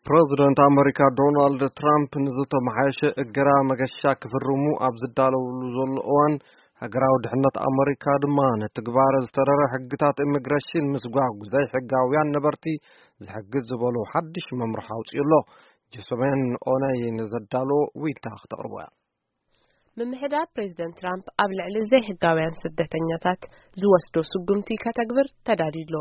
ፕረዚደንት ኣመሪካ ዶናልድ ትራምፕ ንዝተመሓየሸ እገዳ መገሻ ክፍርሙ ኣብ ዝዳለውሉ ዘሎ እዋን፣ ሃገራዊ ድሕነት ኣመሪካ ድማ ንትግባረ ዝተረረ ሕግታት ኢሚግሬሽን ምስጓግ ዘይሕጋውያን ነበርቲ ዝሕግዝ ዝበሉ ሓድሽ መምርሒ ኣውፅኡ ኣሎ። ጀሶሜን ኦነይ ንዘዳለዎ ዊታ ክተቕርቦ እያ። ምምሕዳር ፕሬዚደንት ትራምፕ ኣብ ልዕሊ ዘይሕጋውያን ስደተኛታት ዝወስዶ ስጉምቲ ከተግብር ተዳልዩ ኣሎ።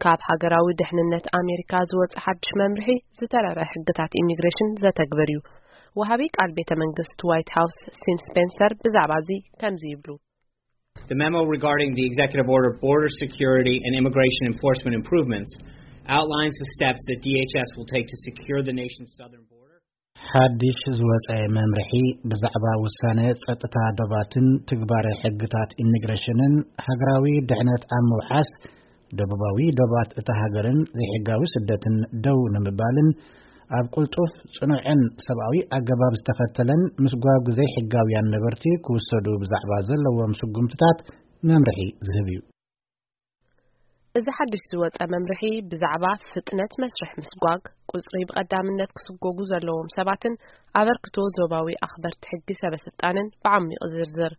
ካብ ሃገራዊ ድሕንነት ኣሜሪካ ዝወፀ ሓድሽ መምርሒ ዝተረረ ሕግታት ኢሚግሬሽን ዘተግብር እዩ። ወሃቢ ቃል ቤተ መንግስት ዋይት ሃውስ ሲን ስፔንሰር ብዛዕባ እዚ ከምዚ ይብሉ። The memo regarding the executive order, Border Security and Immigration Enforcement Improvements, outlines the steps that D H S will take to secure the nation's southern border. ሓድሽ ዝወፀ መምርሒ ብዛዕባ ውሳነ ጸጥታ ዶባትን ትግባረ ሕግታት ኢሚግሬሽንን ሃገራዊ ድሕነት ኣብ ምውሓስ፣ ደቡባዊ ዶባት እታ ሃገርን ዘይሕጋዊ ስደትን ደው ንምባልን ኣብ ቅልጡፍ፣ ጽኑዕን ሰብኣዊ ኣገባብ ዝተኸተለን ምስጓግ ዘይሕጋውያን ነበርቲ ክውሰዱ ብዛዕባ ዘለዎም ስጉምትታት መምርሒ ዝህብ እዩ። እዚ ሓድሽ ዝወጸ መምርሒ ብዛዕባ ፍጥነት መስርሕ ምስጓግ፣ ቁጽሪ ብቐዳምነት ክስጎጉ ዘለዎም ሰባትን ኣበርክቶ ዞባዊ ኣኽበርቲ ሕጊ ሰበ ስልጣንን ብዓሚቕ ዝርዝር።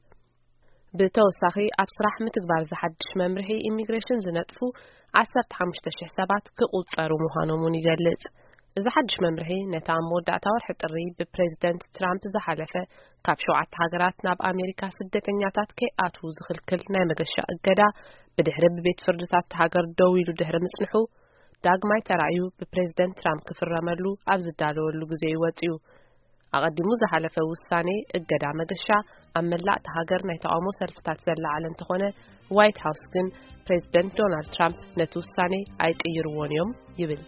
ብተወሳኺ፣ ኣብ ስራሕ ምትግባር ዝሓድሽ መምርሒ ኢሚግሬሽን ዝነጥፉ ዓሰርተ ሓሙሽተ ሽሕ ሰባት ክቑጸሩ ምዃኖም እውን ይገልጽ። እዚ ሓድሽ መምርሒ ነቲ ኣብ መወዳእታ ወርሒ ጥሪ ብፕሬዚደንት ትራምፕ ዝሓለፈ ካብ ሸውዓተ ሃገራት ናብ ኣሜሪካ ስደተኛታት ከይኣትዉ ዝኽልክል ናይ መገሻ እገዳ ብድሕሪ ብቤት ፍርድታት ሃገር ደው ኢሉ ድሕሪ ምጽንሑ፣ ዳግማይ ተራእዩ ብፕሬዚደንት ትራምፕ ክፍረመሉ ኣብ ዝዳለወሉ ግዜ እዩ ወጺኡ። ኣቐዲሙ ዝሓለፈ ውሳኔ እገዳ መገሻ ኣብ መላእ እታ ሃገር ናይ ተቓውሞ ሰልፍታት ዘለዓለ እንተኾነ፣ ዋይት ሃውስ ግን ፕሬዚደንት ዶናልድ ትራምፕ ነቲ ውሳኔ ኣይቅይርዎን እዮም ይብል።